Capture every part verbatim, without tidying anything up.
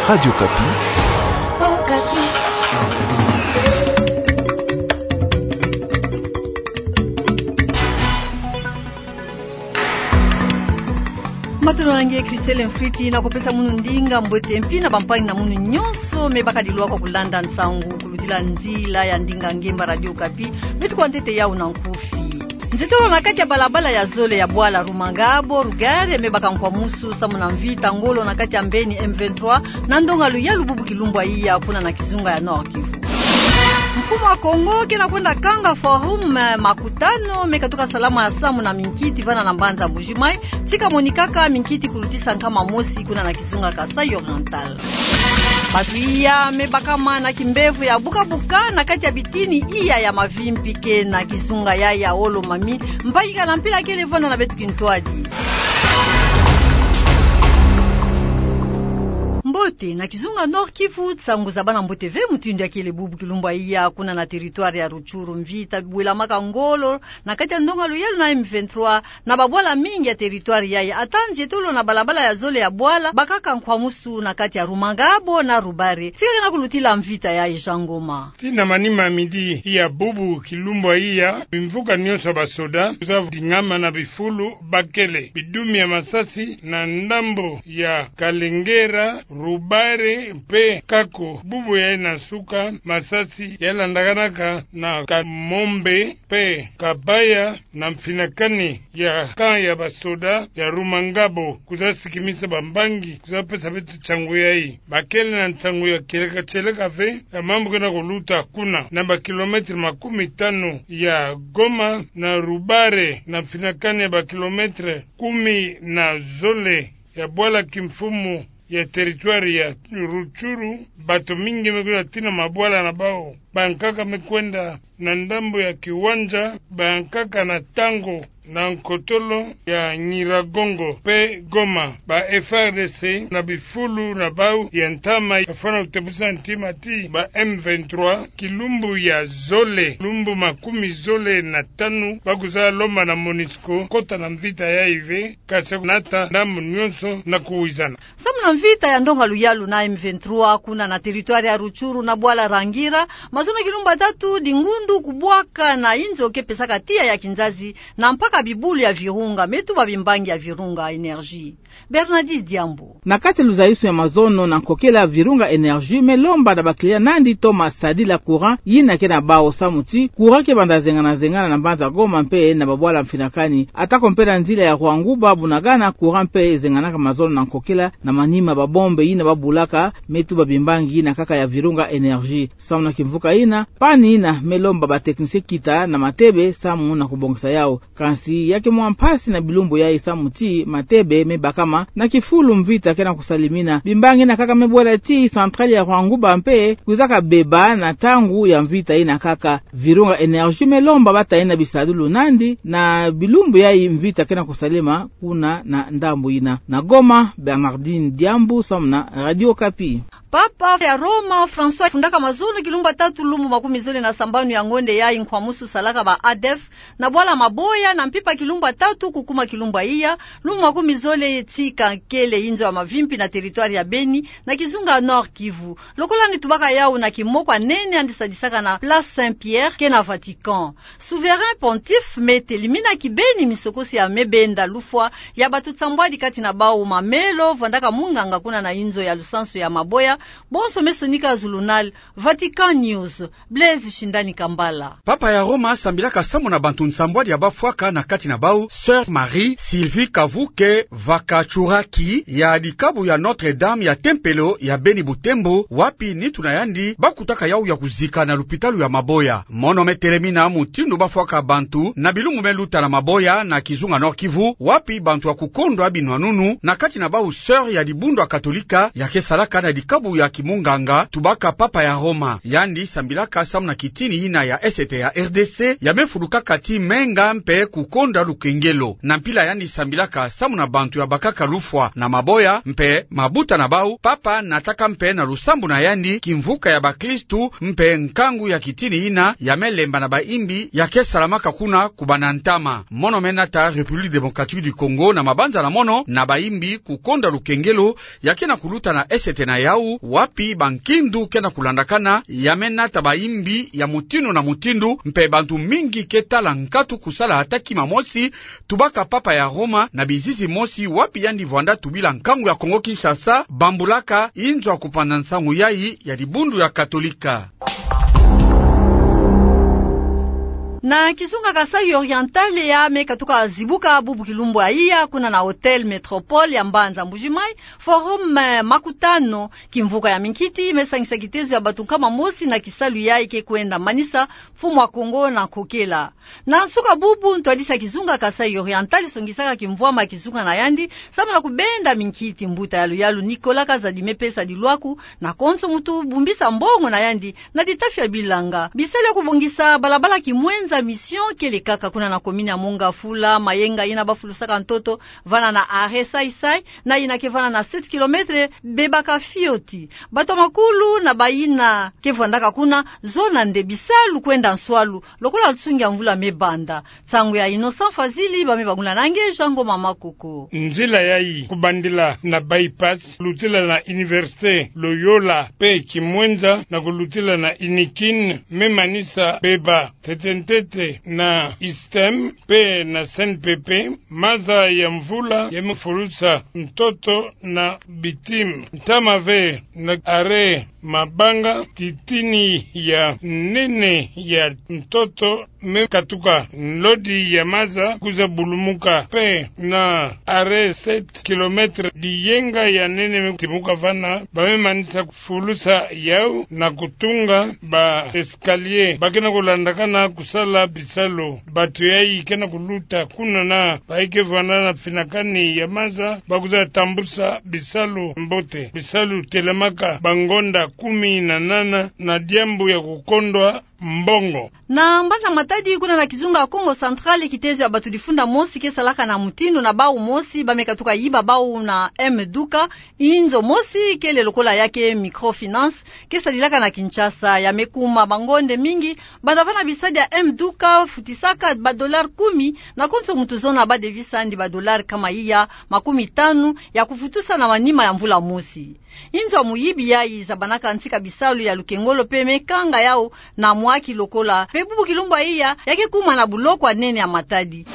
Radio Okapi. Matondo na nge Christelle Mfwiti, na kupesa munu ndinga mbote mpi na bampangi na munu nyonso me bakadi lwa kwa kulanda nsangu kulutila nzila ya ndinga ngemba Radio Okapi. Beto kwa ntete yau na nkufi. Nzietolo na kati ya balabala ya zole ya bwala Rumangabo, Rugare, me baka nkwamusu samu na mvita ngolo na kati ya mbeni M vingt-trois, na ndonga luyalu bubu kilumbu ya iya kuna na kizunga ya Nord-Kivu. Mfumu wa Kongo ke na kwenda kanga forum, eh, makutano, me katuka salama samu na minkiti vana na mbanza Mbuji-Mayi, tika monikaka minkiti kulutisa nkama mosi kuna na kizunga Kasaï Oriental. Bantu iya me bakama na kimbevo ya buka-buka na kati ya bitini iya ya Mavimpi ke na kizunga ya ya Olo-Mami, mpaka na mpila kele vana na beto kintwadi. Mbote, na kizunga Nord-Kivu, nsangu za bana mbote ve mutindu ya kele bubu kilumbu ya iya kuna na territoire ya Rutshuru, mvita bwelamaka ngolo na kati ya ndonga luyalu na M vingt-trois, na babwala mingi ya territoire yayi, ata nzietolo na balabala ya zole ya bwala, bakaka nkwamusu na kati ya Rumangabo na Rubare. Tika ke na kulutila mvita yayi, Jean Ngoma. Tii na manima midi ya bubu kilumbu ya iya, bimvuka nyonso ya basoda, kwiza dingama na bifulu, bakele bidumi ya masasi na ndambo ya Kalengera, Rubare mpe Kako. Bubu yayi na nsuka, masasi yalandakanaka na Kamombe mpe Kabaya, na mfinakani ya camp ya basoda ya Rumangabo, kwiza sikimisa bambangi, kwiza pesa beto nsangu yayi. Bakele na nsangu ya kieleka-kieleka ve ya mambu ke na kuluta kuna, na ba kilomètre makumi tanu ya Goma, na Rubare, na mfinakani ya ba kilomètre kumi na zole ya bwala kimfumu ya territoire ya Rutshuru. Bato mingi me kwiza tii na mabwala na bawu. Bankaka me kwenda na ndambo ya kiwanja, bankaka na ntangu na nkotolo ya Nyiragongo mpe Goma. Ba F A R D C na bifulu na bawu ya ntama bafwana kutepusa ntima ti ba M vingt-trois, kilumbu ya zole, lumbu makumi zole na tanu, bakwiza lomba na MONUSCO kota na mvita yayi ve, kasi nata ndambu nyonso na kuwizana. Samu na mvita ya ndonga luyalu na M vingt-trois kuna na territoire ya Rutshuru na bwala Rangira, mazono kilumbu tatu di ngundu kubwaka na inzo ke pesaka tiya ya kinzazi, na mpaka bibulu ya virunga me tuba bimbangi ya Virunga Energie. Bernardi Diambu. Na kati ya luzayusu ya mazono na nkokela, Virunga Energie me lomba na bakiliya nandi toma sadila courant yina ke na bawu samu ti courant ke banda zengana-zengana na mbanza Goma mpe na babwala mfinakani. Atako mpe na nzila ya Rwanguba Bunagana, courant mpe zenganaka mazono na nkokela na manima babombe yina babulaka me tuba bimbangi yina kaka ya Virunga Energie. Samu na kimvuka yina, panne yina me lomba ba technicien kita na Matebe samu na kubongisa yawu. Kansi ya ke mwa mpasi na bilumbu yayi samu ti Matebe me bakama na kifulu mvita ke na kusalimina. Bimbangi yina kaka me bwela ti centrale ya Rwanguba mpe kwizaka beba na ntangu ya mvita yina kaka. Virunga Energie me lomba bata yina bisadulu nandi na bilumbu yayi mvita ke na kusalema kuna na ndambu yina. Na Goma, Bernardine Diambu samu na Radio Okapi. Papa ya Roma François afundaka mazono kilumbu tatu lumbu makumi zole na sambanu ya ngonde yayi nkwamusu salaka ba ADEF na bwala Maboya na mpimpa kilumbu tatu kukuma kilumbu iya, lumbu makumi zole tika kele inzo ya Mavimpi na territoire ya Beni na kizunga Nord-Kivu. Lokola ni tubaka yawu na kimoko ya nene yandi sadisaka na Place Saint-Pierre ke na Vatican. Souverain Pontife me telimina kibeni misokosi ya me benda lufwa ya bato nsambwadi, kati na bawu mamelo vandaka munganga kuna na inzo ya lusansu ya Maboya. Bonso me sonika zulunal Vatican News. Blaise Shindani Kambala. Papa ya Roma asambilaka samu na bantu nsambwadi ya bafwaka, na kati na bawu Sœur Marie Sylvie Kavuke Vakatsuraki ya dikabu ya Notre-Dame ya tempelo ya Beni Butembo, wapi nitu na yandi bakutaka yawu ya kuzika na lupitalu ya Maboya. Mono me telemina mutindu bafwaka bantu na bilumbu me luta na Maboya na kizunga Nord-Kivu, wapi bantu ya kukondwa binwanunu, na kati na bawu sœur ya dibundu ya Katolika ya ke salaka na dikabu ya kimunganga, tubaka Papa ya Roma. Yandi sambilaka samu na kitini yina ya esete ya R D C ya me fulukaka ti menga mpe kukonda lukengelo. Na mpila yandi sambilaka samu na bantu ya bakaka lufwa na Maboya mpe mabuta na bawu, Papa nataka mpe na lusambu na yandi kimvuka ya bakristu mpe nkangu ya kitini yina ya me lemba na bayimbi ya ke salamaka kuna kubanda ntama. Mono me nata République Démocratique du Congo na mabanza na mono na bayimbi kukonda lukengelo ya ke na kuluta na esete na yawu, wapi bankindu ke na kulandakana, ya me nata bayimbi ya mutindu na mutindu, mpe bantu mingi ke tala nkatu kusala ata kima mosi, tubaka Papa ya Roma na bizizi mosi wapi yandi vwanda tubila nkangu ya Kongo-Kinshasa, bambulaka inzo ya kupana nsangu yayi ya dibundu ya Katolika. Na kizunga Kasaï Oriental ya me katuka zibuka bubu kilumbu ya iya, kuna na Hôtel Métropole ya mbanza Mbuji-Mayi, Forum, eh, makutano kimvuka ya minkiti me sangisa kitezo ya bantu nkama mosi na kisalu yayi ke kwenda manisa mfumu ya Kongo na nkokela. Na nsuka bubu, ntwadisi ya kizunga Kasaï Oriental songisaka kimvwama ya kizunga na yandi, samu na kubenda minkiti. Mbuta ya luyalu Nicolas Kazadi me pesa dilwaku na konso muntu bumbisa mbongo na yandi na ditafi ya bilanga. Bisalu ya kubongisa balabala Kimwenza Mission kele kaka kuna na commune ya Mont-Ngafula, mayenga yina ba fulusaka ntoto vana na arrêt Saï-Saï, na yina ke vana na sept kilomètres, bebaka fioti. Bato ya makulu na bayina ke vwandaka kuna, zona nde bisalu kwenda nswalu, lokola nsungi ya mvula me banda. Nsangu ya Innocent Fazili, ba me bangula na nge Jean Ngoma Makoko. Nzila yayi kubandila na bypass, lutila na Université Loyola mpe Kimwenza, na kulutila na Inikin, me manisa beba ntete-ntete na ISTEM mpe na CNPP. Maza ya mvula ya me fulusa ntoto na bitime. Ntama ve na arrêt Mabanga, titini ya nene ya ntoto me katuka, lodi ya maza kwiza bulumuka, mpe na arrêt sept kilomètres, diyenga ya nene me timuka vana, ba me manisa fulusa yau na kutunga ba escalier. Ba ke na kulandakana kusala bisalu. Bato yayi ke na kuluta kuna na bayi ke vwanda na finakani ya maza, ba kwiza tambusa bisalu mbote. Bisalu telamaka bangonda kumi na nana na diambu ya kukondwa mbongo. Na mbanza Matadi, kuna na kizunga Kongo Central, kitezo ya bato difunda mosi ke salaka na mutindu na bau mosi, ba me katuka yiba bau na M Duka, inzo mosi kele lokola ya ke Microfinance, ke sadilaka na Kinshasa. Ya me kuma bangonde mingi, banda vana bisadi ya M Duka futisaka ba dollars kumi, na konso muntu zona ba devis andi ba dollars nkama iya makumi tanu ya kufutusa na manima ya mvula mosi. Inzo ya muyibi yayi zabanaka ntika bisalu ya lukengolo mpe me kanga yau na mwaki lokola. Mpe bubu kilumbu ya iya, ya ke kuma na buloko ya nene ya Matadi.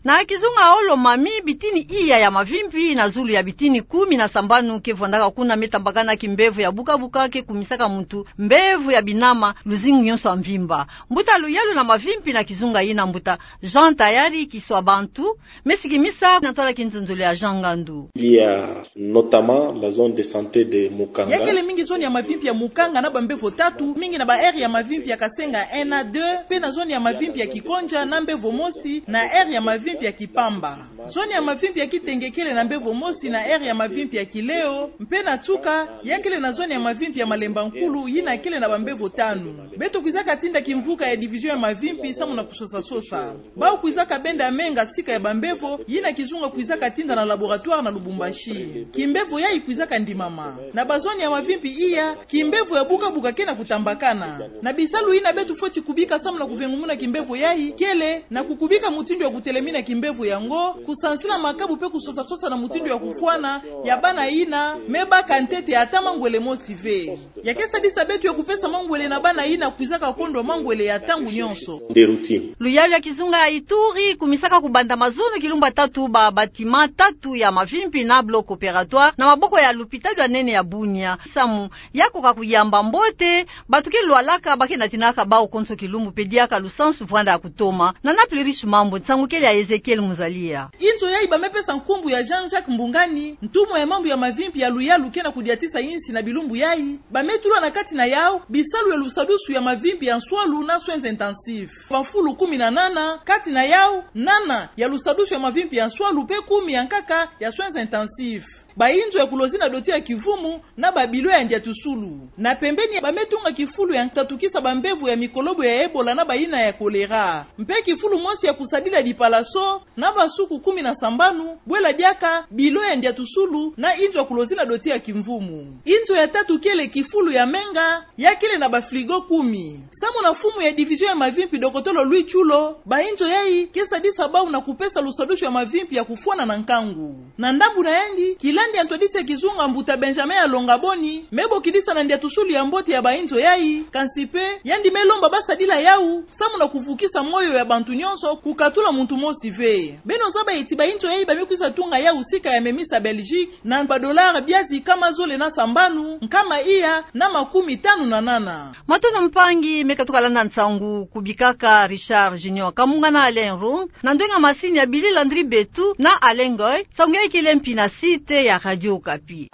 Na kizunga Haut-Lomami, bitini iya ya mavimpi na zulu ya bitini kumi na sambanu ke vwandaka kuna me tambakana kimbevo ya buka-buka ke kumisaka muntu mbevo ya binama luzingu nyonso ya mvimba. Mbuta luyalu na mavimpi na kizunga yina, mbuta Jean Tayari Kiswa Bantu, me sikimisa na ntwala kinzonzolo ya Jean Ngandu. Il y a notamment la zone de santé de Mukanga. Ya kele mingi zone ya mavimpi ya Mukanga na bambevo tatu, mingi na ba aire ya mavimpi ya Kasenga un na deux, mpe na zone ya mavimpi ya Kikonja na mbevo mosi, na aire ya mavimpi ya Kipamba. Zone ya mavimpi ya Kitenge kele na mbevo mosi na aire ya mavimpi ya Kileo, mpe na nsuka, ya kele na zone ya mavimpi ya Malemba Nkulu, yina kele na bambevo tanu. Beto kwizaka tinda kimvuka ya division ya mavimpi samu na kusosa-sosa. Bau kwizaka benda menga sika ya bambevo, yina kizunga kwizaka tinda na laboratoire na Lubumbashi. Kimbevo yayi kwizaka ndimama. Na ba zone ya mavimpi iya, kimbevo ya buka-buka ke na kutambakana. Na bisalu yina beto fweti kubika samu na kuvengumuna kimbevo yayi, kele na kukubika mutindu ya kutelemina kimbevo yango, kusansila makabu mpe kusosa-sosa na mutindu ya kufwana ya bana yina me baka ntete ata mangwele mosi ve. Ya ke sadisa beto ya kupesa mangwele na bana yina kwizaka kondwa mangwele ya ntangu nyonso. Des routines. Luyalu ya kizunga ya Ituri kumisaka kubanda mazono kilumbu ya tatu ba bâtiment tatu ya mavimpi na bloc opératoire na maboko ya lupitalu ya nene ya Bunia. Samu ya koka kuyamba mbote bato ke lwalaka, ba ke natinaka bau konso kilumbu mpe diaka lusansu vwanda ya kutoma. Na na Plurish Mambu, nsangu kele ya Ezekiel Muzalia. Inzo yayi ba me pesa nkumbu ya Jean-Jacques Mbungani, ntumwa ya mambu ya mavimpi ya luyalu ke na kudiatisa insi na bilumbu yayi, ba me tula na kati na yau bisalu ya lusadusu ya mavimpi ya nswalu na soins intensifs. Bafulu kumi na nana, kati na yau, nana ya lusadusu ya mavimpi ya nswalu mpe kumi ya nkaka ya soins intensifs. Bainzo ya kulozi na doti ya kivumu na babilo ya ndiatusulu. Na pembeni, ba me tunga kifulu ya kutatukisa bambevo ya mikolobo ya Ebola na bayina ya choléra. Mpe kifulu mosi ya kusadila dipalaso na basuku kumi na sambanu, bwela diaka bilo ya ndiatusulu na inzo ya kulozi na doti ya kimvumu. Inzo ya tatu kele kifulu ya menga, ya kele na ba frigo kumi. Samu na mfumu ya division ya mavimpi, dokotolo Louis Tshulo, bainzo yayi ke sadisa bau na kupesa lusadusu ya mavimpi ya kufwana na nkangu. Na ndambu na yandi, kila Yandi ya ntwadisi ya kizunga mbuta Benjamin Alonga Boni, me bokidisa na ndiatusulu ya mbote ya bainzo yai, kansi pe, yandi me lomba basadila yau, samu na kuvukisa moyo ya bantu nyonso, kukatula muntu mosi ve. Beno zaba ti bainzo yai ba me kwisa tunga yau sika ya memisa Belgique, na ba dollars biazi nkama zole na sambanu, nkama iya, na makumi tanu na nana. Matondo mpangi, me katuka landa nsangu, kubikaka Richard Junior Kamunga na Alain Rung, na ndwenga masini ya Billy Landry Betu, na Alain Ngoy, nsangu yai kele mpi na site ya Radio Okapi.